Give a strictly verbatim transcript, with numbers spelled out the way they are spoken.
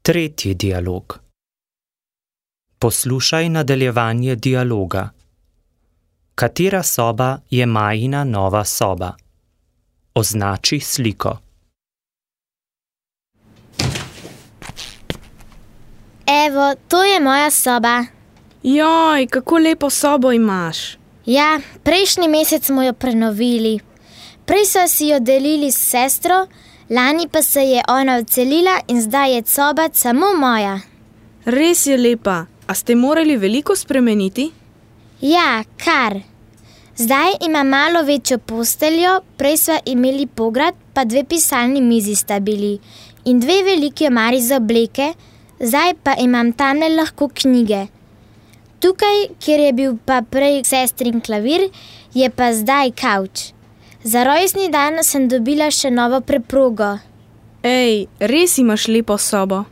Tretji dialog. Poslušaj nadaljevanje dialoga. Katera soba je Majina nova soba? Označi sliko. Evo, to je moja soba. Joj, kako lepo sobo imaš. Ja, prejšnji mesec smo jo prenovili. Prej so si jo delili s sestro, lani pa se je ona odselila in zdaj je soba samo moja. Res je lepa. A ste morali veliko spremeniti? Ja, kar. Zdaj ima malo večjo posteljo, prej sva imeli pograd, pa dve pisalni mizi sta bili in dve veliki omari za obleke, zdaj pa imam tamle lahko knjige. Tukaj, kjer je bil pa prej sestrin klavir, je pa zdaj kavč. Za rojstni dan sem dobila še novo preprogo. Ej, res imaš lepo sobo.